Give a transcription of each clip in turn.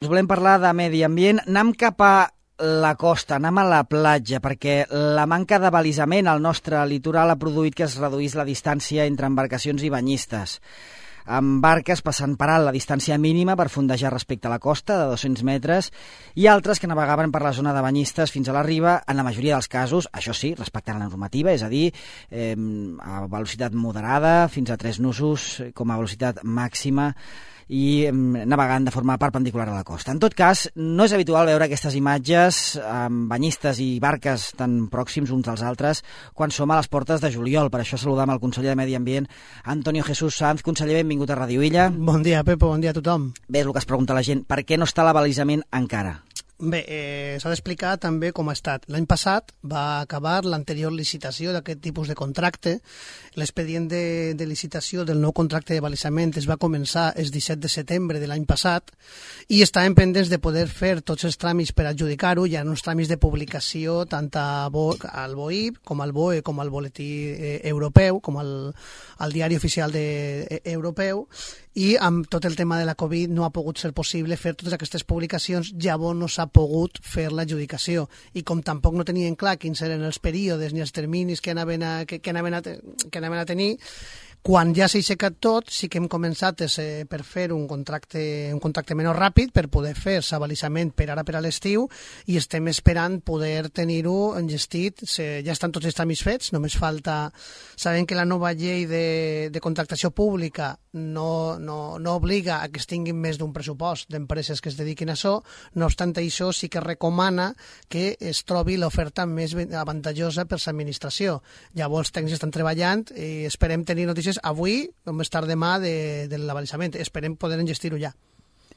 Us volem parlar de medi ambient. Anem cap a la costa, anem a la platja, perquè la manca de balisament al nostre litoral ha produït que es reduís la distància entre embarcacions i banyistes, amb barques passant per alt la distància mínima per fondejar respecte a la costa, de 200 metres, i altres que navegaven per la zona de banyistes fins a la riba, en la majoria dels casos, això sí, respectant la normativa, és a dir, a velocitat moderada, fins a 3 nusos com a velocitat màxima, i navegant de forma perpendicular a la costa. En tot cas, no és habitual veure aquestes imatges amb banyistes i barques tan pròxims uns als altres quan som a les portes de juliol. Per això saludam el conseller de Medi Ambient, Antonio Jesús Sanz. Conseller, benvingut a Ràdio Illa. Bon dia, Pepo, bon dia a tothom. Bé, és el que es pregunta la gent, per què no està l'abalisament encara? Bé, s'ha d'explicar també com ha estat. L'any passat va acabar l'anterior licitació d'aquest tipus de contracte. L'expedient de licitació del nou contracte de balisament es va començar el 17 de setembre de l'any passat i estàvem pendents de poder fer tots els tràmits per adjudicar-ho. Hi ha uns tràmits de publicació tant al BOIB com al BOE com al boletí europeu, com al diari oficial europeu, i amb tot el tema de la Covid no ha pogut ser possible fer totes aquestes publicacions, llavors no s'ha pogut fer l'adjudicació, i com tampoc no tenien clar quins eren els períodes ni els terminis que anaven a tenir, quan ja s'ha aixecat tot, sí que hem començat per fer un contracte menys ràpid per poder fer l'abalisament per ara per a l'estiu, i estem esperant poder tenir-ho enllestit. Ja estan tots els tràmits fets, només falta... Sabem que la nova llei de contractació pública no obliga a que es tinguin més d'un pressupost d'empreses que es dediquin a això, no obstant això sí que recomana que es trobi l'oferta més avantatjosa per l'administració. Llavors els tècnics estan treballant i esperem tenir notícies avui o més tard demà de l'abalisament. Esperem poder enllestir-ho ja.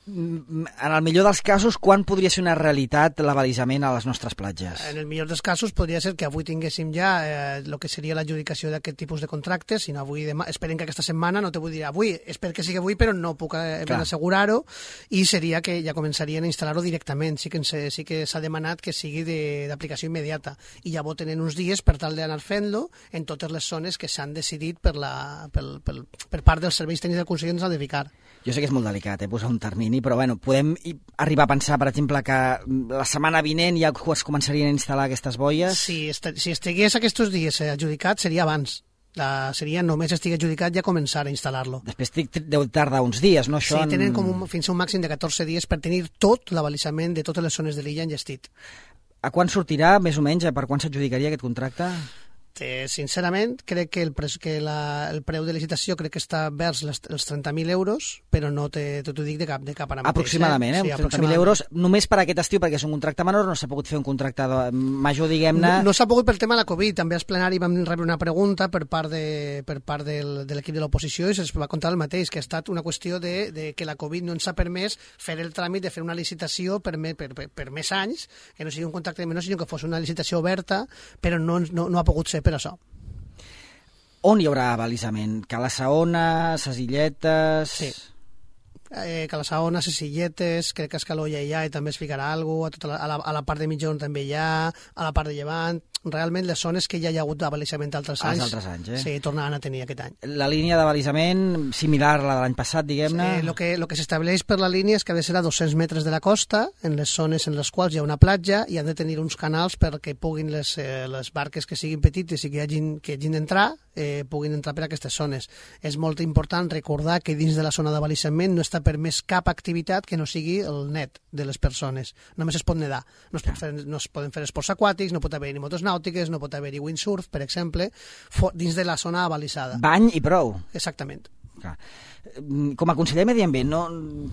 En el millor dels casos, quan podria ser una realitat l'abalisament a les nostres platges? En el millor dels casos podria ser que avui tinguéssim ja el que seria l'adjudicació d'aquest tipus de contractes, sinó avui demà. Esperem que aquesta setmana, no te vull dir avui, espero que sigui avui, però no puc assegurar-ho, i seria que ja començarien a instal·lar-ho directament. Sí que s'ha demanat que sigui d'aplicació immediata, i llavors tenen uns dies per tal d'anar fent-lo en totes les zones que s'han decidit per part dels serveis tècnics del Consell ens ha de ficar. Jo sé que és molt delicat, posar un termini, però bueno, podem arribar a pensar, per exemple, que la setmana vinent ja es començarien a instal·lar aquestes boies? Si estigués aquests dies adjudicat, seria abans. Seria només estigui adjudicat ja començar a instal·lar-lo. Després deu tardar uns dies, no? Això tenen fins a un màxim de 14 dies per tenir tot l'abalisament de totes les zones de l'illa enllestit. A quan sortirà, més o menys, per quan s'adjudicaria aquest contracte? Sincerament, crec que el preu de licitació crec que està vers els 30.000 euros, però no t'ho dic de cap ara mateix. Aproximadament, Sí, 30.000 euros només per aquest estiu, perquè és un contracte menor, no s'ha pogut fer un contracte major, diguem-ne... No s'ha pogut pel tema de la Covid. També al plenari vam rebre una pregunta per part de l'equip de l'oposició i se'ns va contar el mateix, que ha estat una qüestió de que la Covid no ens ha permès fer el tràmit de fer una licitació per més anys, que no sigui un contracte menor, sinó que fos una licitació oberta, però no ha pogut ser per això. On hi haurà abalisament? Cala Saona, ses Illetes... Sí. Cala Saona, ses Illetes, crec que a Escaló ja hi ha i també es ficarà alguna cosa, a la part de mitjorn també hi ha, a la part de llevant... Realment les zones que ja hi ha hagut d'abalisament altres anys, sí, tornaran a tenir aquest any. La línia d'abalisament similar a la de l'any passat, diguem-ne? El que s'estableix per la línia és que ha de ser a 200 metres de la costa, en les zones en les quals hi ha una platja, i han de tenir uns canals perquè puguin les barques que siguin petites i que hagin d'entrar, puguin entrar per aquestes zones. És molt important recordar que dins de la zona d'abalisament no està permès cap activitat que no sigui el net de les persones. Només es pot nedar. No es poden fer esports aquàtics, no pot haver ni motos nàutiques, no pot haver-hi windsurf, per exemple, dins de la zona abalisada. Bany i prou. Exactament. Clar. Com a conseller de Medi Ambient,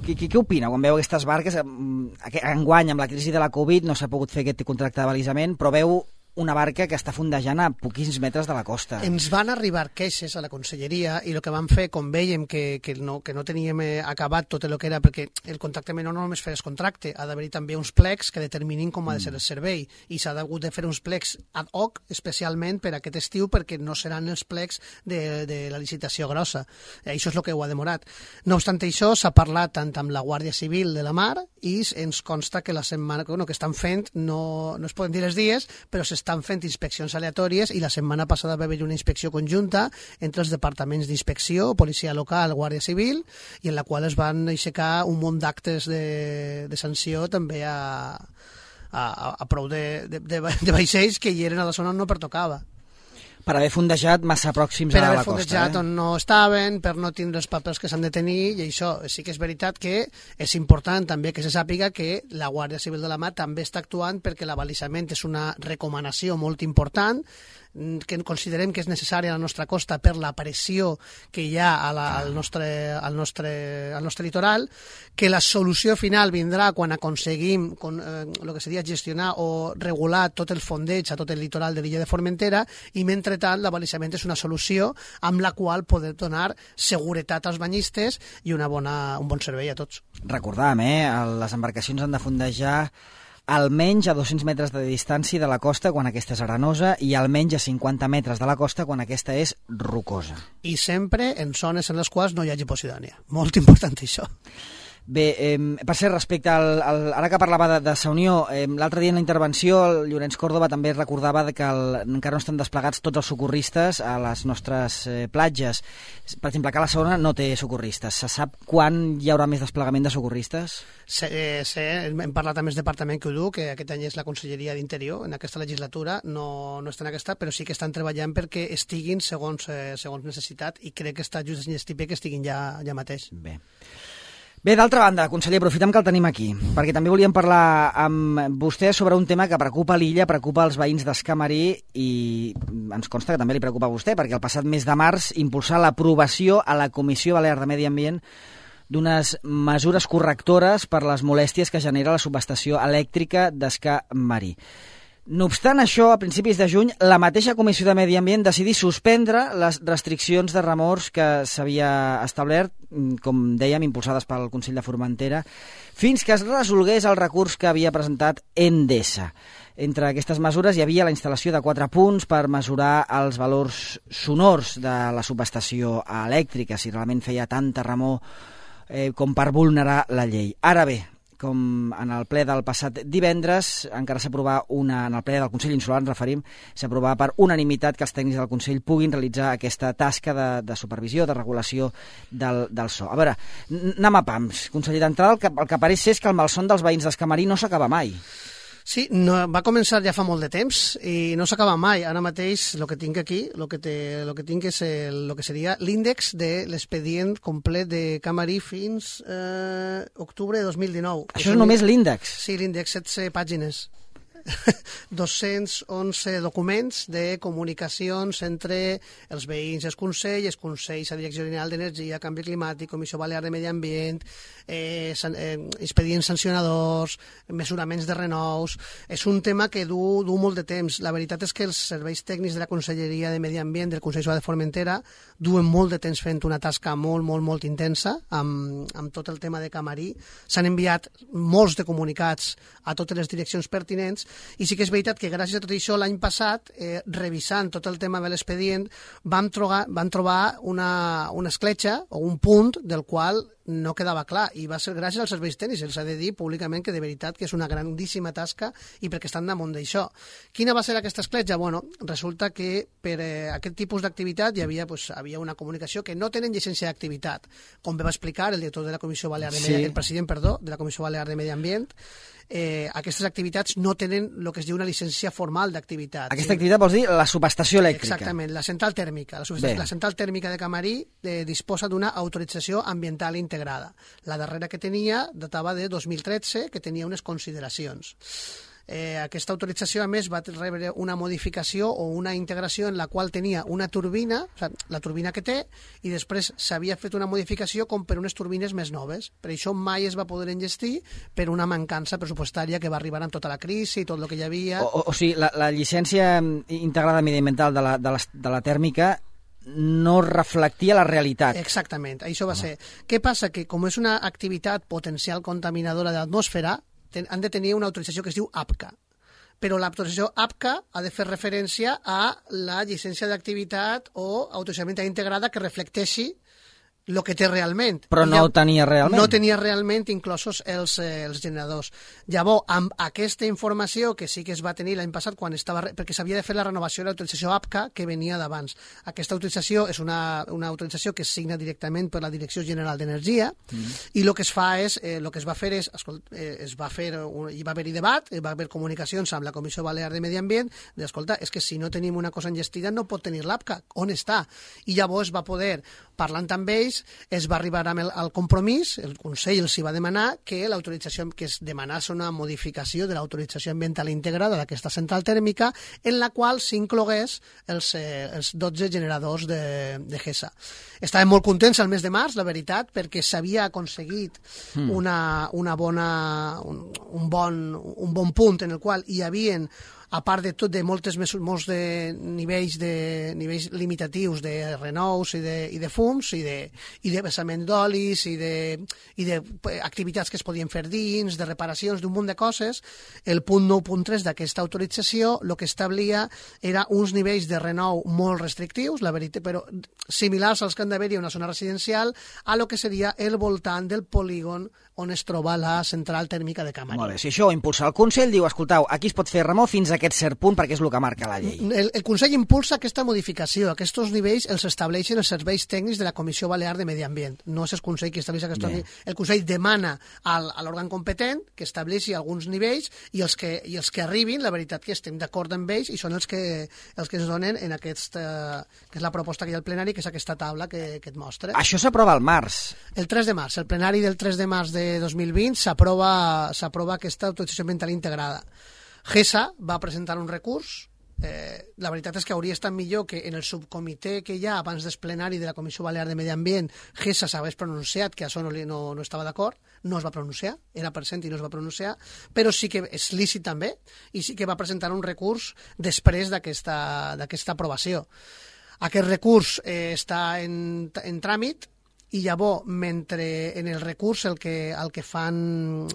què opina quan veu aquestes barques? Enguany, amb la crisi de la Covid, no s'ha pogut fer aquest contracte d'abalisament, però veu una barca que està fondejant a poquins metres de la costa. Ens van arribar queixes a la conselleria i el que vam fer, com vèiem que no teníem acabat tot el que era, perquè el contracte menor no només fer el contracte, ha d'haver-hi també uns plecs que determinin com ha de ser el servei, i s'ha hagut de fer uns plecs ad hoc especialment per aquest estiu, perquè no seran els plecs de la licitació grossa. Això és el que ho ha demorat. No obstant això, s'ha parlat tant amb la Guàrdia Civil de la Mar i ens consta que la setmana que estan fent, no es poden dir els dies, però s'està estan fent inspeccions aleatòries i la setmana passada va haver una inspecció conjunta entre els departaments d'inspecció, policia local, guàrdia civil, i en la qual es van aixecar un munt d'actes de sanció també a prou de vaixells que hi eren a la zona on no pertocava. Per haver fondejat massa pròxims a la costa. Per haver fondejat on no estaven, per no tindre els papers que s'han de tenir, i això sí que és veritat que és important també que se sàpiga que la Guàrdia Civil de la Mar també està actuant perquè l'abalisament és una recomanació molt important, que considerem que és necessària a la nostra costa per la pressió que hi ha al nostre litoral, que la solució final vindrà quan aconseguim el que seria gestionar o regular tot el fondeig a tot el litoral de l'illa de Formentera, i mentrestant l'abalisament és una solució amb la qual poder donar seguretat als banyistes i un bon servei a tots. Recordàvem, les embarcacions han de fondejar almenys a 200 metres de distància de la costa quan aquesta és arenosa i almenys a 50 metres de la costa quan aquesta és rocosa. I sempre en zones en les quals no hi hagi Posidònia. Molt important això. Bé, per ser respecte ara que parlava de Sa Unió, l'altre dia en la intervenció el Llorenç Córdoba també recordava que encara no estan desplegats tots els socorristes a les nostres platges. Per exemple, que la Saona no té socorristes. Se sap quan hi haurà més desplegament de socorristes? Hem parlat amb el departament que ho du, que aquest any és la Conselleria d'Interior, en aquesta legislatura, no està en aquesta, però sí que estan treballant perquè estiguin segons necessitat, i crec que està just enllestiper que estiguin ja mateix. Bé, d'altra banda, conseller, aprofitem que el tenim aquí, perquè també volíem parlar amb vostè sobre un tema que preocupa l'illa, preocupa els veïns d'Escamarí, i ens consta que també li preocupa a vostè, perquè el passat mes de març impulsà l'aprovació a la Comissió Balear de Medi Ambient d'unes mesures correctores per les molèsties que genera la subestació elèctrica d'Escamarí. No obstant això, a principis de juny, la mateixa Comissió de Medi Ambient decidí suspendre les restriccions de remors que s'havia establert, com dèiem, impulsades pel Consell de Formentera, fins que es resolgués el recurs que havia presentat Endesa. Entre aquestes mesures hi havia la instal·lació de 4 punts per mesurar els valors sonors de la subestació elèctrica, si realment feia tanta remor com per vulnerar la llei. Ara bé, com en el ple del passat divendres, encara s'aprovà en el ple del Consell Insular, ens referim, s'aprovà per unanimitat que els tècnics del Consell puguin realitzar aquesta tasca de supervisió, de regulació del so. A veure, anem a pams. Conseller, d'entrada el que pareix ser és que el malson dels veïns d'Escamarí no s'acaba mai. Sí, va començar ja fa molt de temps i no s'acaba mai. Ara mateix el que tinc aquí, el que tinc és el que seria l'índex de l'expedient complet de Camarí fins octubre de 2019. Això és només l'índex? Sí, l'índex, 16 pàgines. 211 documents de comunicacions entre els veïns, els consells, la Direcció General d'Energia, Canvi Climàtic, Comissió Balear de Medi Ambient, expedients sancionadors, mesuraments de renous. És un tema que du molt de temps. La veritat és que els serveis tècnics de la Conselleria de Medi Ambient del Consell de Formentera duen molt de temps fent una tasca molt intensa amb tot el tema de Camarí. S'han enviat molts de comunicats a totes les direccions pertinents, i sí que és veritat que gràcies a tot això l'any passat, revisant tot el tema de l'expedient, van trobar una escletxa o un punt del qual no quedava clar, i va ser gràcies als serveis tècnics. Els ha de dir públicament que de veritat que és una grandíssima tasca i perquè estan damunt d'això. Quina va ser aquesta escletxa? Bueno, resulta que per aquest tipus d'activitat hi havia una comunicació que no tenen llicència d'activitat. Com va explicar el director de la Comissió Balear de el president, de la Comissió Balear de Medi Ambient, aquestes activitats no tenen el que es diu una llicència formal d'activitat. Aquesta activitat vols dir la subestació elèctrica? Exactament, la central tèrmica. La central tèrmica de Camarí disposa d'una autorització ambiental integrada. La darrera que tenia datava de 2013, que tenia unes consideracions. Aquesta autorització, a més, va rebre una modificació o una integració en la qual tenia una turbina, la turbina que té, i després s'havia fet una modificació com per unes turbines més noves. Per això mai es va poder enllestir per una mancança pressupostària que va arribar amb tota la crisi i tot el que hi havia. O sigui, la llicència integrada mediambiental de la tèrmica no reflectia la realitat. Exactament, això va ser. Què passa? Que com és una activitat potencial contaminadora de l'atmosfera, han de tenir una autorització que es diu APCA. Però l'autorització APCA ha de fer referència a la llicència d'activitat o autorització integrada que reflecteixi el que té realment. Però no ho tenia realment. No tenia realment inclosos els generadors. Llavors, amb aquesta informació que sí que es va tenir l'any passat, perquè s'havia de fer la renovació de l'autorització APCA que venia d'abans. Aquesta autorització és una autorització que es signa directament per la Direcció General d'Energia i el que es fa és, el que es va fer és, hi va haver-hi debat, hi va haver comunicacions amb la Comissió Balear de Medi Ambient, d'escolta, és que si no tenim una cosa enllestida no pot tenir l'APCA, on està? I llavors va poder, parlant amb ells, es va arribar al compromís, el Consell els hi va demanar que l'autorització, que es demanés una modificació de l'autorització ambiental integrada d'aquesta central tèrmica, en la qual s'inclogués els 12 generadors de GESA. Estàvem molt contents al mes de març, la veritat, perquè s'havia aconseguit un bon punt en el qual hi havien, a part de tot, de molts de nivells limitatius de renous i de fums i de vessament d'olis i d'activitats que es podien fer dins, de reparacions, d'un munt de coses. El punt 9.3 d'aquesta autorització el que establia era uns nivells de renou molt restrictius, la veritat, però similars als que han d'haver-hi a una zona residencial, a lo que seria el voltant del polígon on es troba la central tèrmica de Camarín. Molt bé, si això ho impulsa el Consell, diu, escoltau, aquí es pot fer remou fins a aquest cert punt perquè és el que marca la llei. El Consell impulsa aquesta modificació. Aquests nivells els estableixen els serveis tècnics de la Comissió Balear de Medi Ambient. No és el Consell que estableix aquests nivells. El Consell demana a l'òrgan competent que estableixi alguns nivells i els que arribin, la veritat que estem d'acord amb ells i són els que ens donen en aquesta, que és la proposta que hi ha al plenari, que és aquesta taula que et mostra. Això s'aprova al març. El 3 de març. El plenari del 3 de març de 2020 s'aprova aquesta autorització ambiental integrada. GESA va presentar un recurs. La veritat és que hauria estat millor que en el subcomitè que hi ha abans del plenari de la Comissió Balear de Medi Ambient GESA s'hagués pronunciat, que això no estava d'acord, no es va pronunciar, era present i no es va pronunciar, però sí que és lícit també i sí que va presentar un recurs després d'aquesta aprovació. Aquest recurs està en tràmit i llavors, mentre en el recurs el que fan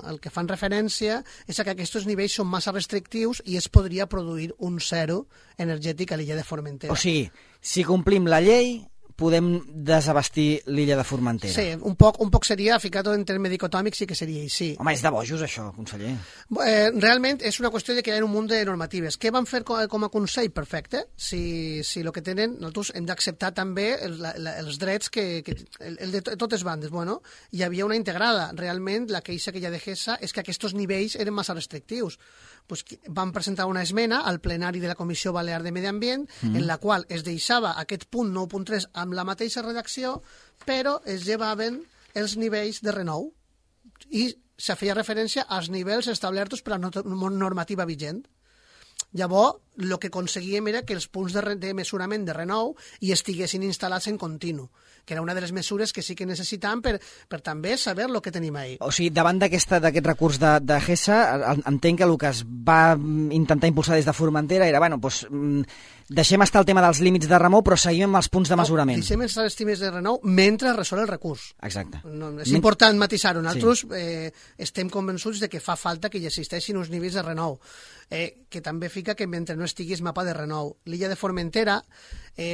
referència és que aquests nivells són massa restrictius i es podria produir un zero energètic a l'illa de Formentera. O sigui, si complim la llei, podem desabastir l'illa de Formentera. Sí, un poc seria, ficat en terme dicotòmic, sí que seria així. Home, és de bojos, això, conseller. Realment és una qüestió de que hi ha un munt de normatives. Què van fer com a Consell? Perfecte. Si el que tenen, nosaltres hem d'acceptar també els drets el de totes bandes. Bueno, hi havia una integrada. Realment, la queixa que hi ha de GESA és que aquests nivells eren massa restrictius. Pues van presentar una esmena al plenari de la Comissió Balear de Medi Ambient en la qual es deixava aquest punt 9.3 amb la mateixa redacció, però es llevaven els nivells de renou i se feia referència als nivells establerts per la normativa vigent. Llavors, el que aconseguíem era que els punts de mesurament de renou hi estiguessin instal·lats en continu, que era una de les mesures que sí que necessitàvem per també saber el que tenim ahí. O sigui, davant d'aquest recurs de GESA, entenc que el que es va intentar impulsar des de Formentera era, bueno, doncs, deixem estar el tema dels límits de remou, però seguim amb els punts de mesurament. Deixem estar els límits de renou mentre resol el recurs. Exacte. És important matisar-ho. Nosaltres estem convençuts de que fa falta que hi existeixin uns nivells de renou, que també fica que mentre no estiguis mapa de renou. L'illa de Formentera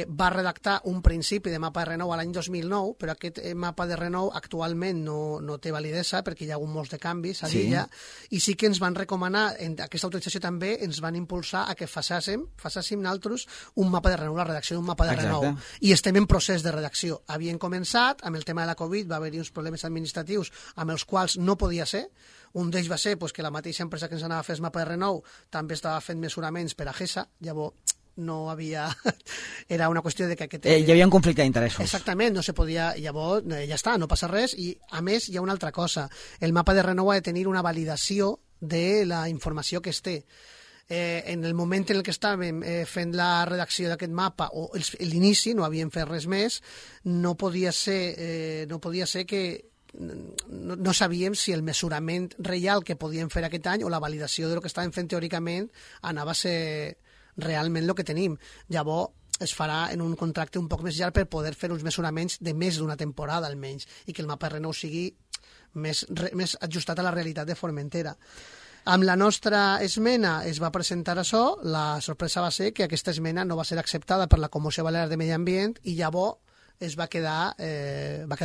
va redactar un principi de mapa de renou a l'any 2009, però aquest mapa de renou actualment no té validesa perquè hi ha hagut molts de canvis a l'illa, i sí que ens van recomanar, en aquesta autorització també ens van impulsar a que fassàssim nosaltres un mapa de renou, la redacció d'un mapa de renou. I estem en procés de redacció. Havien començat, amb el tema de la Covid va haver-hi uns problemes administratius amb els quals no podia ser. Un d'ells va ser que la mateixa empresa que ens anava a fer el mapa de renou també estava fent mesuraments per a GESA, llavors no havia... Era una qüestió de que... Hi havia un conflicte d'interessos. Exactament, no se podia... Llavors, ja està, no passa res. I, a més, hi ha una altra cosa. El mapa de renou ha de tenir una validació de la informació que es té. En el moment en què estàvem fent la redacció d'aquest mapa, o l'inici, no havíem fet res més, no podia ser que no sabíem si el mesurament real que podíem fer aquest any o la validació del que estàvem fent teòricament anava a ser realment el que tenim. Llavors es farà en un contracte un poc més llarg per poder fer uns mesuraments de més d'una temporada almenys i que el mapa de renou sigui més ajustat a la realitat de Formentera. Amb la nostra esmena es va presentar això, la sorpresa va ser que aquesta esmena no va ser acceptada per la Comissió Balear de Medi Ambient i llavors es va quedar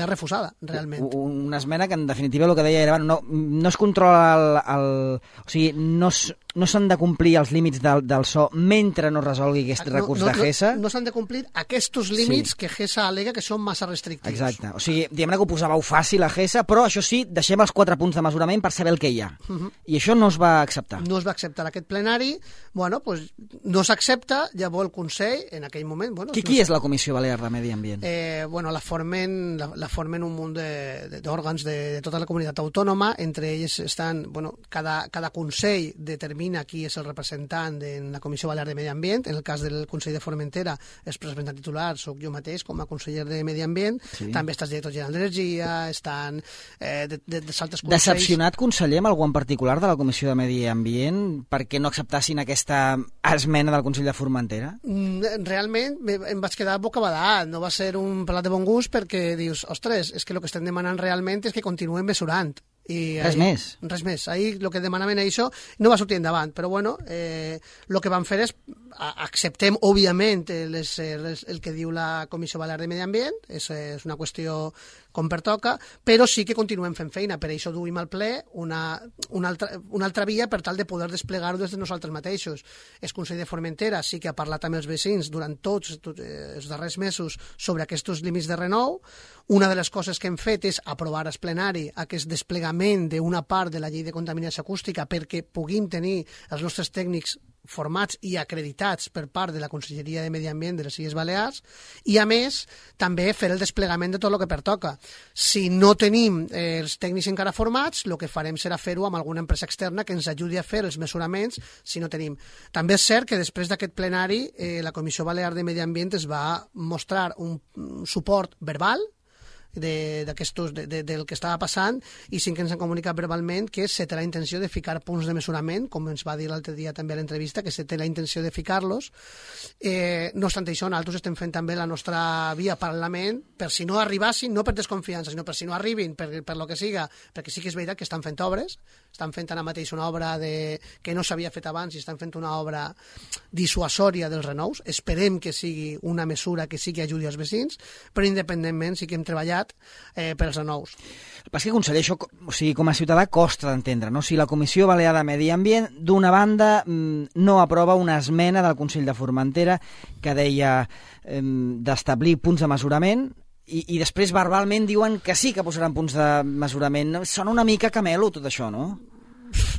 refusada, realment. Una esmena que, en definitiva, el que deia era no es controla o sigui, no s'han de complir els límits del so mentre no resolgui aquest recurs de GESA. No s'han de complir aquests límits que GESA al·lega que són massa restrictius. Exacte. O sigui, diguem-ne que ho posàveu fàcil a GESA, però això sí, deixem els 4 punts de mesurament per saber el que hi ha. I això no es va acceptar. No es va acceptar aquest plenari. Bueno, pues no s'accepta, llavors el Consell, en aquell moment... Bueno, qui és la Comissió Balear de Medi Ambient? Bueno, la formen un munt d'òrgans de tota la comunitat autònoma, entre ells estan, bueno, cada Consell determina qui és el representant en la Comissió Balear de Medi Ambient. En el cas del Consell de Formentera, el representant titular soc jo mateix com a conseller de Medi Ambient. Sí. També està el director general d'Energia, estan d'altres consells. Decepcionat, conseller, amb algú en particular de la Comissió de Medi Ambient perquè no acceptassin aquesta esmena del Consell de Formentera? Realment em vaig quedar bocabadat. No va ser un plat de bon gust perquè dius, ostres, és que el que estem demanant realment és que continuem mesurant. I res més. Res més. Ahir el que demanaven això no va sortir endavant, però bueno, el que van fer és acceptem, òbviament, el que diu la Comissió Balear de Medi Ambient, és una qüestió com pertoca, però sí que continuem fent feina, per això duim al ple una altra via per tal de poder desplegar-ho des de nosaltres mateixos. El Consell de Formentera sí que ha parlat amb els veïns durant tots els darrers mesos sobre aquests límits de renou. Una de les coses que hem fet és aprovar al plenari aquest desplegament d'una part de la llei de contaminació acústica perquè puguin tenir els nostres tècnics formats i acreditats per part de la Conselleria de Medi Ambient de les Illes Balears i, a més, també fer el desplegament de tot el que pertoca. Si no tenim els tècnics encara formats, el que farem serà fer-ho amb alguna empresa externa que ens ajudi a fer els mesuraments si no tenim. També és cert que després d'aquest plenari la Comissió Balear de Medi Ambient es va mostrar un suport verbal del que estava passant i sí que ens han comunicat verbalment que se té la intenció de ficar punts de mesurament, com ens va dir l'altre dia també a l'entrevista, que se té la intenció de ficar-los. No obstant això, nosaltres estem fent també la nostra via paral·lelament per si no arribassin, no per desconfiança, sinó per si no arribin, per lo que siga, perquè sí que és veritat que estan fent obres, estan fent ara mateix una obra que no s'havia fet abans i estan fent una obra dissuasòria dels renous. Esperem que sigui una mesura que sí que ajudi als veïns, però independentment sí que hem treballat per als renous. El que passa que, conseller, això, o sigui, com a ciutadà costa d'entendre, no? Si la Comissió Balear de Medi Ambient, d'una banda, no aprova una esmena del Consell de Formentera que deia d'establir punts de mesurament i després verbalment diuen que sí que posaran punts de mesurament. Sona una mica camelo tot això, no?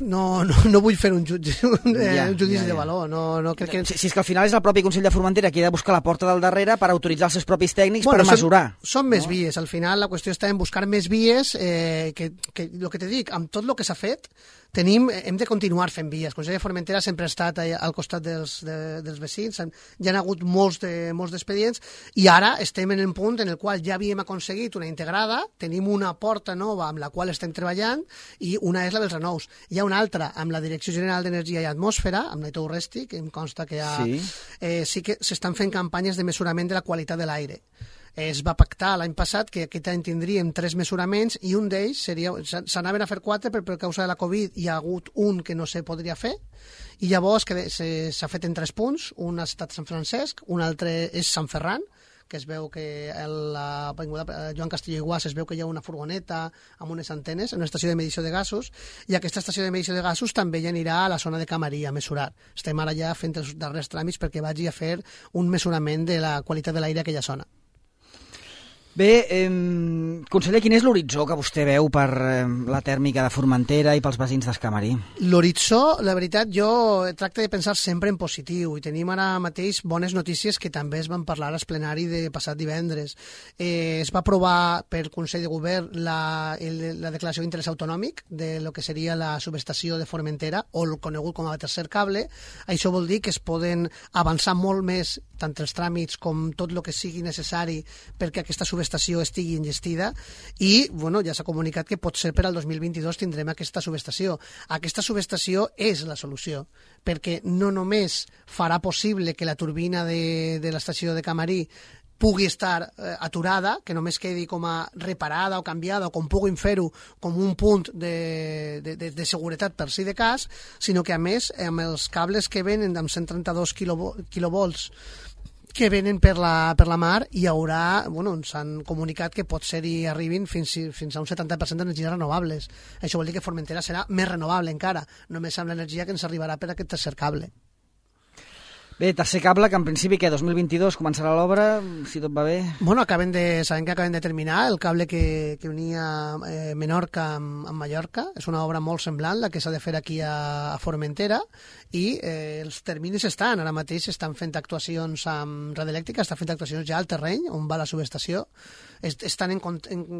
No vull fer un judici de valor. No crec que... Si és que al final és el propi Consell de Formentera qui ha de buscar la porta del darrere per autoritzar els seus propis tècnics per mesurar. Són més vies. Al final la qüestió està en buscar més vies que el que te dic, amb tot el que s'ha fet hem de continuar fent vies. El Consell de Formentera sempre ha estat al costat dels veïns, hi ha hagut molts d'expedients i ara estem en el punt en el qual ja havíem aconseguit una integrada, tenim una porta nova amb la qual estem treballant i una és la dels renous. Hi ha una altra amb la Direcció General d'Energia i Atmosfera, amb l'Aitor Urresti, que em consta que sí que s'estan fent campanyes de mesurament de la qualitat de l'aire. Es va pactar l'any passat que aquest any tindríem 3 mesuraments i un d'ells s'anaven a fer 4 però per causa de la Covid hi ha hagut un que no se podria fer i llavors s'ha fet en 3 punts, un ha estat Sant Francesc, un altre és Sant Ferran, que es veu que la Joan Castelló i Guas es veu que hi ha una furgoneta amb unes antenes en una estació de medició de gasos i aquesta estació de medició de gasos també ja anirà a la zona de Camarí a mesurar. Estem ara ja fent els darrers tràmits perquè vagi a fer un mesurament de la qualitat de l'aire a aquella zona. Bé, conseller, quin és l'horitzó que vostè veu per la tèrmica de Formentera i pels veïns d'Escamarí? L'horitzó, la veritat, jo tracto de pensar sempre en positiu i tenim ara mateix bones notícies que també es van parlar al plenari de passat divendres. Es va aprovar per Consell de Govern la declaració d'interès autonòmic de lo que seria la subestació de Formentera o el conegut com a tercer cable. Això vol dir que es poden avançar molt més tant els tràmits com tot el que sigui necessari perquè aquesta subestació estigui enllestida i ja s'ha comunicat que potser per al 2022 tindrem aquesta subestació. Aquesta subestació és la solució perquè no només farà possible que la turbina de l'estació de Camarí pugui estar aturada, que només quedi com a reparada o canviada o com puguin fer-ho com un punt de seguretat per si de cas, sinó que a més amb els cables que venen amb 132 quilovolts que venen per la mar i hi haurà, ens han comunicat que pot ser hi arribin fins a un 70% d'energies renovables. Això vol dir que Formentera serà més renovable encara, només amb l'energia que ens arribarà per aquest tercer cable. Bé, tercer cable, que en principi, 2022 començarà l'obra, si tot va bé? Sabem que acaben de terminar el cable que unia Menorca amb Mallorca. És una obra molt semblant, la que s'ha de fer aquí a Formentera, i els terminis estan. Ara mateix estan fent actuacions amb Red Elèctrica, estan fent actuacions ja al terreny, on va la subestació. Estan en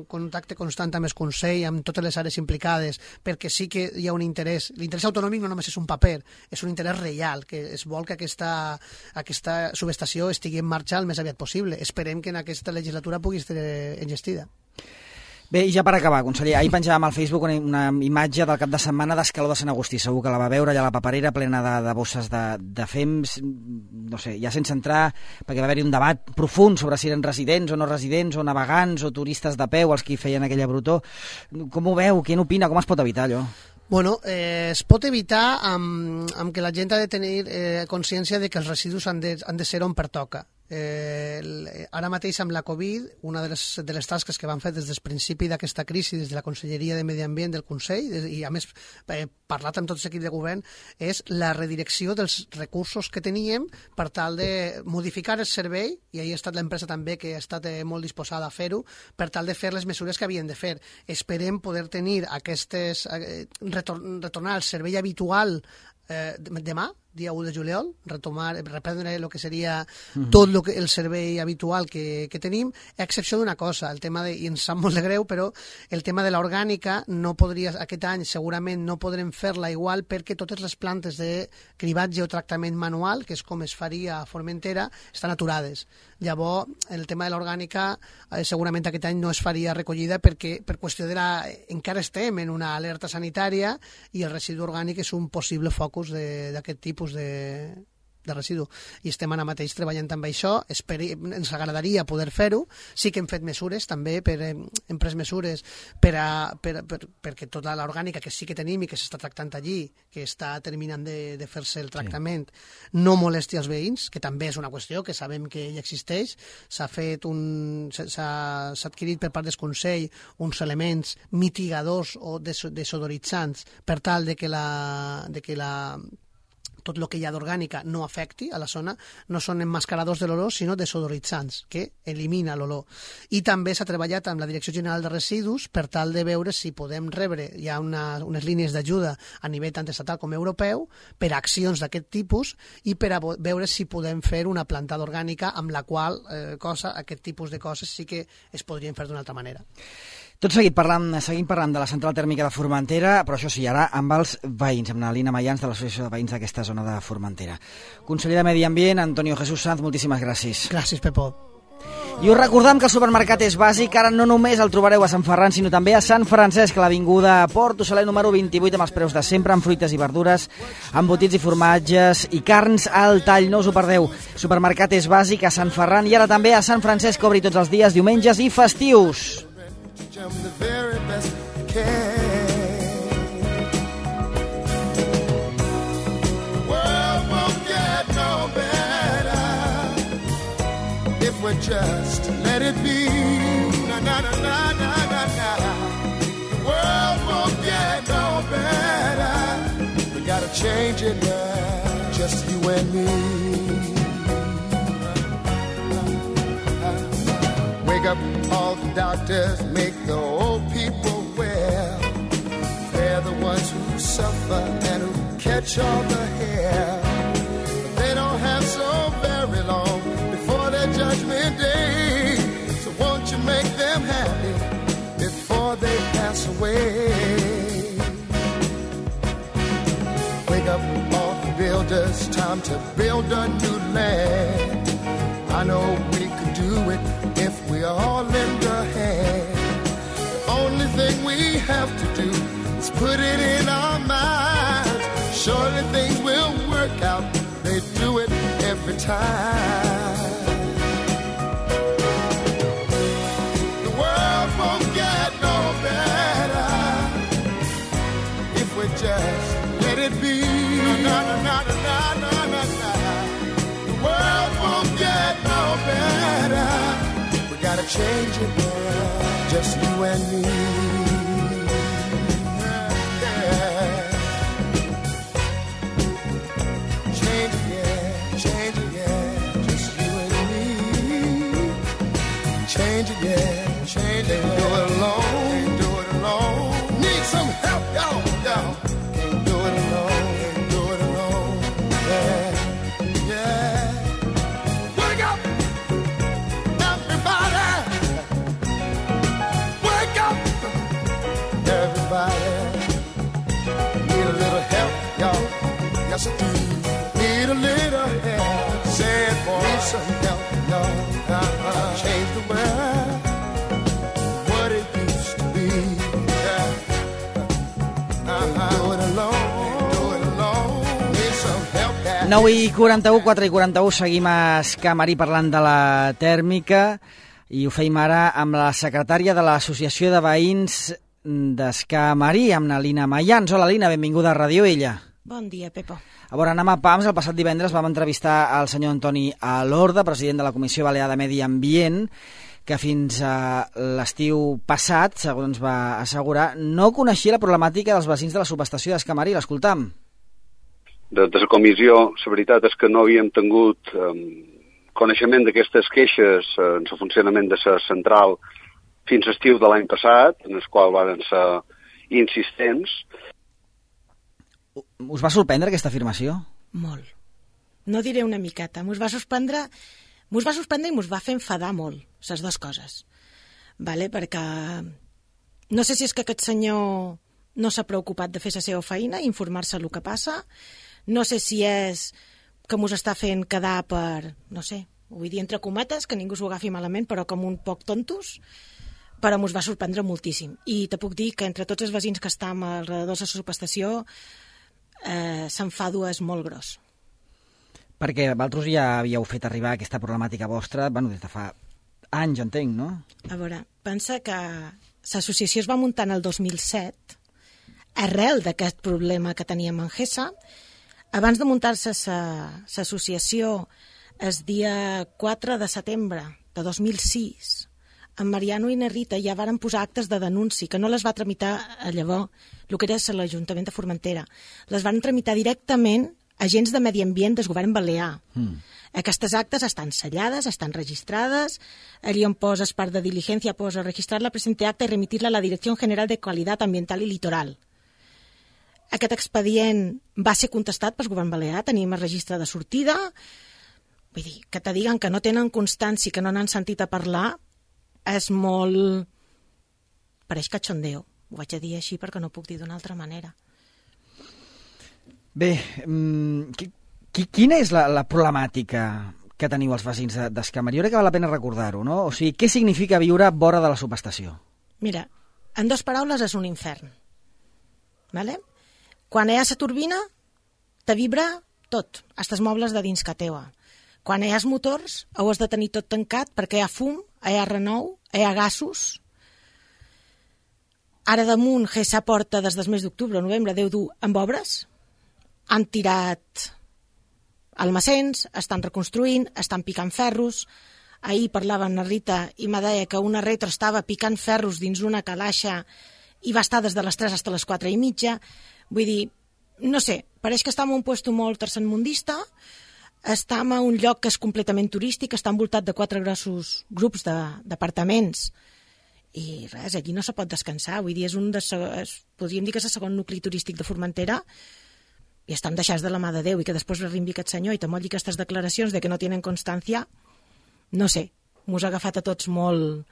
contacte constant amb el Consell, amb totes les àrees implicades, perquè sí que hi ha un interès. L'interès autonòmic no només és un paper, és un interès real, que es vol que aquesta subestació estigui en marxa el més aviat possible. Esperem que en aquesta legislatura pugui estar enllestida. Bé, i ja per acabar, conseller, ahir penjàvem al Facebook una imatge del cap de setmana d'Escaló de Sant Agustí. Segur que la va veure allà a la paperera plena de bosses de fems, no sé, ja sense entrar, perquè va haver-hi un debat profund sobre si eren residents o no residents, o navegants o turistes de peu, els que feien aquella brutó. Com ho veu? Qui n'opina? Com es pot evitar allò? Es pot evitar amb que la gent ha de tenir consciència de que els residus han de ser on pertoca. Ara mateix amb la Covid, una de les tasques que van fer des del principi d'aquesta crisi, des de la Conselleria de Medi Ambient del Consell, i a més parlat amb tot l'equip de govern, és la redirecció dels recursos que teníem per tal de modificar el servei, i ahir ha estat l'empresa també que ha estat molt disposada a fer-ho, per tal de fer les mesures que havien de fer. Esperem poder tenir retornar al servei habitual demà, dia 1 de juliol, reprendre el que seria tot el servei habitual que tenim, a excepció d'una cosa, i ens sap molt de greu, però el tema de l'orgànica aquest any segurament no podrem fer-la igual, perquè totes les plantes de cribatge o tractament manual, que és com es faria a Formentera, estan aturades. Llavors, el tema de l'orgànica segurament aquest any no es faria recollida perquè per qüestió encara estem en una alerta sanitària i el residu orgànic és un possible focus d'aquest tipus de residu. I estem ara mateix treballant amb això. Ens agradaria poder fer-ho. Sí que hem fet mesures també, hem pres mesures perquè tota l'orgànica que sí que tenim i que s'està tractant allí, que està terminant de fer-se el tractament, no molesti els veïns, que també és una qüestió que sabem que ja existeix. S'ha adquirit per part del Consell uns elements mitigadors o desodoritzants per tal de que tot el que hi ha d'orgànica no afecti a la zona. No són emmascaradors de l'olor, sinó desodoritzants, que elimina l'olor. I també s'ha treballat amb la Direcció General de Residus per tal de veure si podem rebre, hi ha unes línies d'ajuda a nivell tant estatal com europeu per a accions d'aquest tipus i per a veure si podem fer una plantada orgànica amb la qual aquest tipus de coses sí que es podrien fer d'una altra manera. Tot seguim parlant de la central tèrmica de Formentera, però això sí, ara amb els veïns, amb la Lina Mayans de l'Associació de Veïns d'aquesta zona de Formentera. Conseller de Medi Ambient, Antonio Jesús Sanz, moltíssimes gràcies. Gràcies, Pepó. I us recordem que el supermercat és bàsic, ara no només el trobareu a Sant Ferran, sinó també a Sant Francesc, a l'avinguda Port Oceler número 28, amb els preus de sempre, amb fruites i verdures, embotits i formatges i carns al tall, no us ho perdeu. Supermercat és bàsic a Sant Ferran i ara també a Sant Francesc, obri tots els dies, diumenges i festius. The very best can. The world won't get no better if we just let it be. Na na na na na na na. The world won't get no better. We gotta change it now, just you and me. Wake up all the doctors, make the old people well. They're the ones who suffer and who catch all the hair. They don't have so very long before their judgment day. So won't you make them happy before they pass away? Wake up all the builders, time to build a new land. I know we could do it if we all lend a hand. The only thing we have to do is put it in our minds. Surely things will work out. They do it every time. The world won't get no better if we just let it be. No, no, no, no, no, no, no, no. The world won't get no change it, yeah, just you and me. Yeah. Change it, yeah, just you and me. Change it, yeah, change it. Can't do it alone, can't do it alone. Need some help, y'all, y'all. Can't do it alone, can't do it alone. Yeah, yeah. Wake up, everybody. Wake up, everybody. Need a little help, y'all. Yes, I do. Need a little help. Say it, boy. Need some help, y'all. Change the world, what it used to be. Yeah. Do it alone, do it alone. Need some help. 9:41, 4:41, seguim a Escamarí parlant de la tèrmica i ho feim ara amb la secretària de l'Associació de Veïns d'Escamarí, amb la Lina Mayans. Hola, Lina, benvinguda a Radio Illa. Bon dia, Pepo. A veure, anem a PAMS. El passat divendres vam entrevistar al senyor Antoni Alorda, president de la Comissió Balear de Medi Ambient, que fins a l'estiu passat, segons va assegurar, no coneixia la problemàtica dels veïns de la subestació d'Escamarí. L'escoltam. De la comissió, la veritat és que no havíem tingut coneixement d'aquestes queixes en el funcionament de la central fins a l'estiu de l'any passat, en el qual van ser insistents. Us va sorprendre aquesta afirmació? Molt. No diré una miqueta. Mos va sorprendre i mos va fer enfadar molt, les dues coses. Vale? Perquè no sé si és que aquest senyor no s'ha preocupat de fer la seva feina, informar-se el que passa. No sé si és que mos està fent quedar per, no sé, ho vull dir entre cometes, que ningú s'ho agafi malament, però com un poc tontos, però mos va sorprendre moltíssim. I te puc dir que entre tots els veïns que estem alrededor de la subestació s'enfado és molt gros. Perquè vosaltres ja havíeu fet arribar aquesta problemàtica vostra, bueno, des de fa anys, entenc, no? A veure, pensa que l'associació es va muntar en el 2007 arrel d'aquest problema que teníem en Gessa. Abans de muntar-se l'associació, el dia 4 de setembre de 2006, en Mariano i na Rita ja varen posar actes de denunci, que no les va tramitar llavors, el que era l'Ajuntament de Formentera. Les van tramitar directament agents de medi ambient del govern balear. Aquestes actes estan sellades, estan registrades, allí on poses part de diligència, posa registrar la presente acta i remitir-la a la Direcció General de Qualitat Ambiental i Litoral. Aquest expedient va ser contestat pel govern balear, tenim el registre de sortida. Vull dir, que te diguen que no tenen constància, que no n'han sentit a parlar, és molt... pareix cachondeo. Ho vaig a dir així perquè no puc dir d'una altra manera. Bé, quina és la problemàtica que teniu els veïns d'Escamarí? Jo crec que val la pena recordar-ho, no? O sigui, què significa viure vora de la subestació? Mira, en dues paraules és un infern. Vale? Quan hi ha la turbina, te vibra tot, fins els mobles de dins que teua. Quan hi ha els motors, ho has de tenir tot tancat perquè hi ha fum, hi ha renou, hi ha gasos. Ara damunt, Gessa porta des del mes d'octubre o novembre, deu dur amb obres. Han tirat almacens, estan reconstruint, estan picant ferros. Ahir parlava amb la Rita i me deia que una retro estava picant ferros dins una calaixa i va estar des de les 3 fins a les 4:30. Vull dir, no sé, pareix que estem en un lloc molt tercermundista, estem en un lloc que és completament turístic, està envoltat de 4 grossos grups d'apartaments i res, allí no se pot descansar. Vull dir, podríem dir que és el segon nucli turístic de Formentera i estan deixats de la mà de Déu i que després l'arrimbi aquest senyor i te molli aquestes declaracions de que no tenen constància, no sé, mos ha agafat a tots molt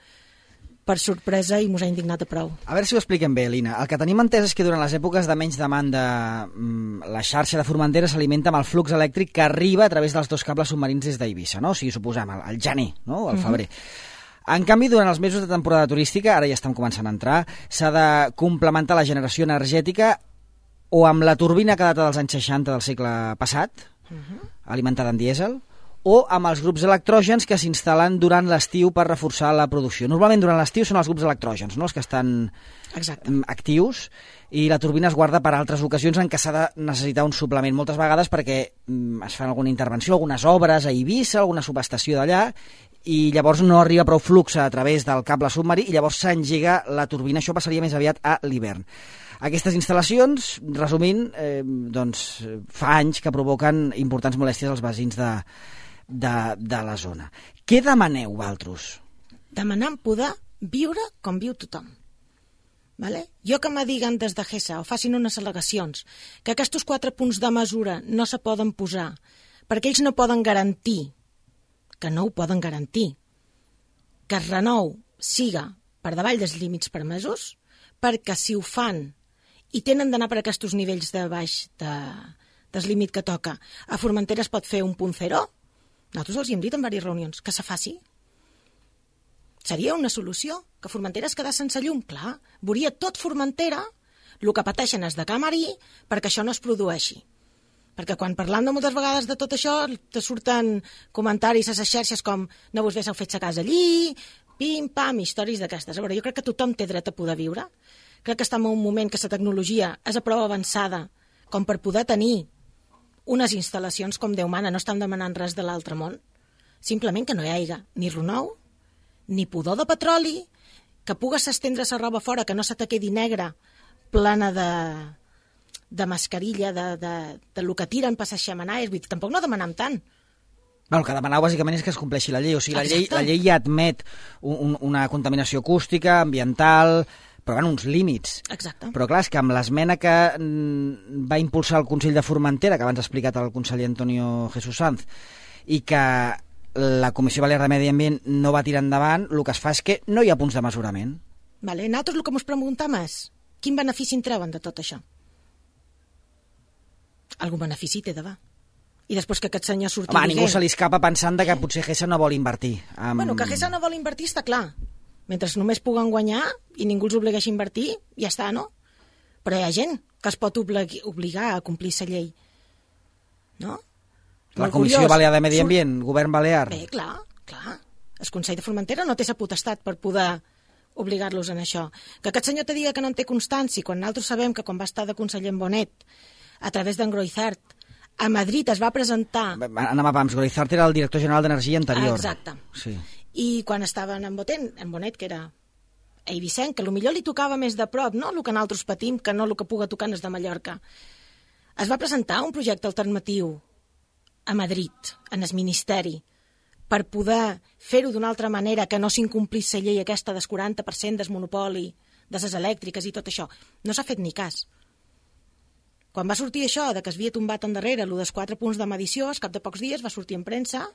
per sorpresa i mos ha indignat a prou. A veure si ho expliquem bé, Lina. El que tenim entès és que durant les èpoques de menys demanda la xarxa de Formentera s'alimenta amb el flux elèctric que arriba a través dels 2 cables submarins des d'Eivissa, no? O sigui, suposem, al gener, no? O al febrer. En canvi, durant els mesos de temporada turística, ara ja estem començant a entrar, s'ha de complementar la generació energètica o amb la turbina que data dels anys 60 del segle passat, alimentada amb dièsel, o amb els grups electrògens que s'instal·len durant l'estiu per reforçar la producció. Normalment durant l'estiu són els grups electrògens, no? Els que estan actius, i la turbina es guarda per altres ocasions en què s'ha de necessitar un suplement, moltes vegades perquè es fan alguna intervenció, algunes obres a Eivissa, alguna subestació d'allà, i llavors no arriba prou flux a través del cable submarí i llavors s'engega la turbina. Això passaria més aviat a l'hivern. Aquestes instal·lacions, resumint, fa anys que provoquen importants molèsties als veïns de la zona. Què demaneu, vosaltres? Demanant poder viure com viu tothom. Vale? Jo que me diguen des de GESA o facin unes al·legacions que aquests 4 punts de mesura no se poden posar perquè ells no poden garantir, que no ho poden garantir, que el renou siga per davall dels límits permesos, perquè si ho fan i tenen d'anar per aquests nivells de baix del límit que toca, a Formentera es pot fer un punt zero, nosaltres els hi hem dit en diverses reunions que se faci. Seria una solució, que Formentera es quedés sense llum. Clar, veuria tot Formentera, el que pateixen és de Camarí, perquè això no es produeixi. Perquè quan parlant de moltes vegades de tot això, te surten comentaris a les xarxes com no vos haguéssiu fet sa casa allí, pim, pam, històries d'aquestes. A veure, jo crec que tothom té dret a poder viure. Crec que estem en un moment que la tecnologia és a prou avançada com per poder tenir unes instal·lacions com Déu mana. No estem demanant res de l'altre món. Simplement que no hi hagi ni renou, ni pudor de petroli, que pugues estendre la roba fora, que no se te quedi negra, plana de mascarilla, de lo que tiren per les xemeneies. Vull dir, tampoc no demanam tant. El que demanau bàsicament és que es compleixi la llei. O sigui, la llei ja admet una contaminació acústica, ambiental, però en uns límits. Exacte. Però clar, és que amb l'esmena que va impulsar el Consell de Formentera, que abans ha explicat el conseller Antonio Jesús Sanz, i que la Comissió Balear de Medi Ambient no va tirar endavant, el que es fa és que no hi ha punts de mesurament. Vale. Nosaltres el que ens preguntem és quin benefici en treuen de tot això? Algun benefici té d'haver. I després que aquest senyor surti... Home, a ningú se li escapa pensant que potser GESA no vol invertir. Bueno, que GESA no vol invertir està clar. Mentre només puguen guanyar i ningú els obligueixi a invertir, ja està, no? Però hi ha gent que es pot obligar a complir la llei. No? La Comissió Balear de Medi Ambient, Govern Balear. Bé, clar. El Consell de Formentera no té la potestat per poder obligar-los en això. Que aquest senyor te diga que no en té constància, quan nosaltres sabem que quan va estar de conseller en Bonet, a través d'en Groizart, a Madrid es va presentar... Anem a pams, Groizart era el director general d'Energia anterior. Exacte. Sí. I quan estaven en Bonet, que era Eivissent, que potser li tocava més de prop, no el que nosaltres patim, que no el que puga tocar és de Mallorca, es va presentar un projecte alternatiu a Madrid, en el Ministeri, per poder fer-ho d'una altra manera, que no s'incomplís la llei aquesta del 40% del monopoli de les elèctriques i tot això. No s'ha fet ni cas. Quan va sortir això, de que es havia tombat endarrere el dels 4 punts de medició, al cap de pocs dies va sortir en premsa,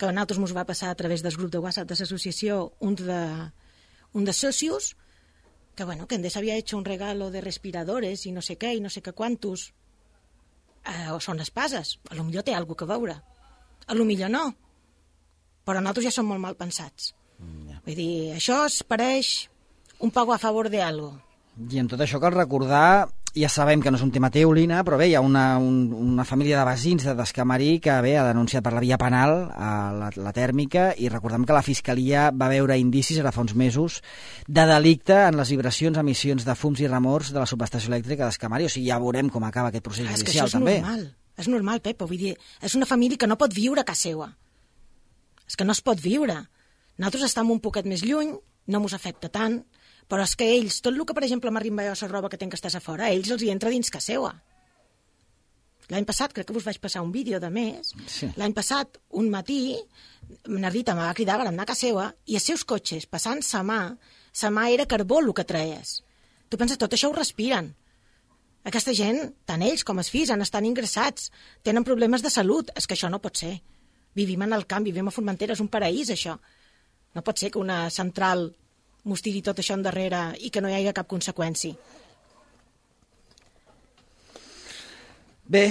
que a nosaltres ens va passar a través del grup de WhatsApp de l'associació un de socios, que bueno, que Endesa havia hecho un regalo de respiradores i no sé què, i no sé què quantos, o són espases, a lo millor té alguna que veure, a lo millor no, però nosaltres ja som molt mal pensats. Vull dir, això es pareix un pago a favor de algo. I en tot això cal recordar, ja sabem que no és un tema teu, Lina, però bé, hi ha una família de veïns de Descamarí que bé, ha denunciat per la via penal la tèrmica, i recordem que la Fiscalia va veure indicis ara fa uns mesos de delicte en les vibracions, emissions de fums i remors de la subestació elèctrica d'Escamarí. O sigui, ja veurem com acaba aquest procés judicial, també. És normal, Pepa, vull dir, és una família que no pot viure a casa seva. És que no es pot viure. Nosaltres estem un poquet més lluny, no mos afecta tant, però és que ells, tot el que, per exemple, m'arriba jo a la roba que tenc que estàs a fora, ells els hi entra dins casa seva. L'any passat, crec que us vaig passar un vídeo de més, sí. L'any passat, un matí, na Rita me va cridar per anar a casa seva, i els seus cotxes, passant sa mà era carbó el que traies. Tu penses, tot això ho respiren. Aquesta gent, tant ells com els fills, estan ingressats, tenen problemes de salut. És que això no pot ser. Vivim en el camp, vivim a Formentera, és un paraís, això. No pot ser que una central mos tiri tot això endarrere i que no hi hagi cap conseqüència. Bé,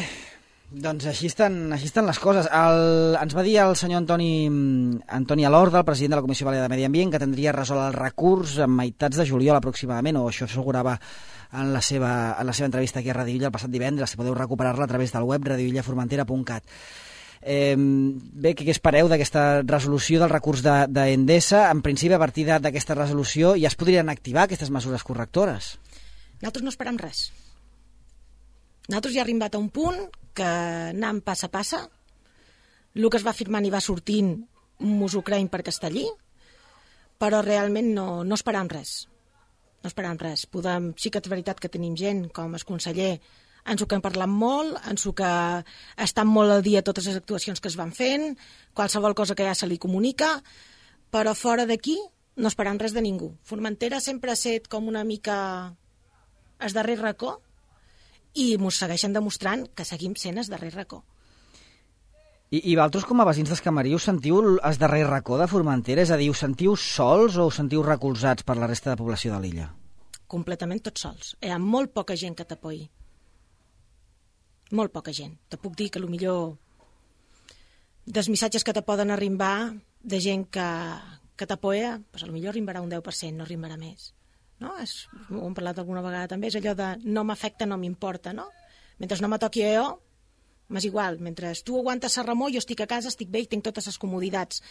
doncs així estan les coses. Ens va dir el senyor Antoni Alorda, el president de la Comissió Balear de Medi Ambient, que tindria resolt el recurs a meitats de juliol aproximadament, o això assegurava en la seva entrevista aquí a Radio Illa el passat divendres. Si podeu recuperar-la a través del web radioillaformentera.cat. Bé, què espereu d'aquesta resolució del recurs d'Endesa? En principi, a partir d'aquesta resolució ja es podrien activar aquestes mesures correctores. Nosaltres no esperem res. Nosaltres ja hem arribat a un punt que anem passa a passa. El que es va firmant i va sortint mos ho creiem per Castellí, però realment no esperam res. No esperam res. Sí que és veritat que tenim gent, com el conseller, ens ho que hem parlat molt, ens ho que estan molt al dia totes les actuacions que es van fent, qualsevol cosa que ja se li comunica, però fora d'aquí no esperam res de ningú. Formentera sempre ha estat com una mica el darrer racó i mos segueixen demostrant que seguim sent el darrer racó. I vosaltres, com a veïns d'Escamarí, us sentiu el darrer racó de Formentera? És a dir, us sentiu sols o us sentiu recolzats per la resta de població de l'illa? Completament tots sols. Hi ha molt poca gent que t'apoyi. Molt poca gent. Te puc dir que potser dels missatges que te poden arribar de gent que t'apoya, doncs potser arribarà un 10%, no arribarà més. No? Ho hem parlat alguna vegada també, és allò de no m'afecta, no m'importa, no? Mentre no me toqui a jo, m'és igual. Mentre tu aguantes la remor, jo estic a casa, estic bé i tinc totes les comoditats.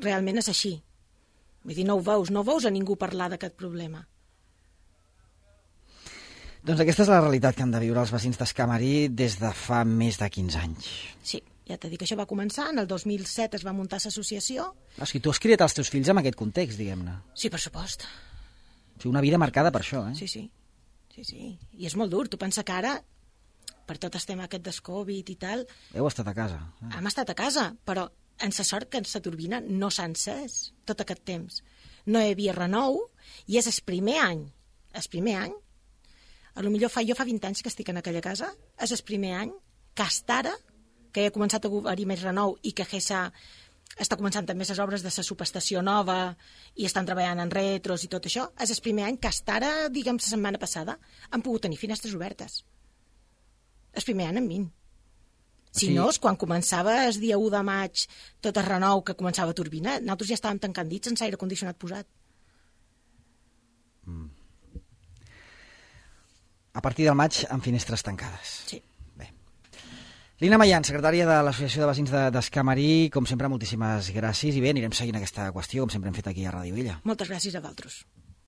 Realment és així. Vull dir, no ho veus a ningú parlar d'aquest problema. Doncs aquesta és la realitat que han de viure els veïns d'Escamarí des de fa més de 15 anys. Sí, ja t'he dit que això va començar, en el 2007 es va muntar l'associació. O sigui, tu has criat els teus fills en aquest context, diguem-ne. Sí, per supost. O sigui, una vida marcada per això, eh? Sí. I és molt dur. Tu pensa que ara, per tot el tema aquest del Covid i tal... Heu estat a casa. Hem estat a casa, però en la sort que en la turbina no s'ha encès tot aquest temps. No hi havia renou i és el primer any, jo fa 20 anys que estic en aquella casa, és el primer any que hasta ara, que ja ha començat a haver més renou i que GESA està començant també les obres de la subestació nova i estan treballant en retros i tot això, és el primer any que hasta ara, diguem, la setmana passada, han pogut tenir finestres obertes. El primer any en 20. Si no, quan començava el dia 1 de maig tot el renou que començava a turbina, nosaltres ja estàvem tancant dits sense aire condicionat posat. A partir del maig, amb finestres tancades. Sí. Bé. Lina Mallan, secretària de l'Associació de Veïns d'Escamarí, com sempre, moltíssimes gràcies i bé, anirem seguint aquesta qüestió, com sempre hem fet aquí a Ràdio Illa. Moltes gràcies a vosaltres.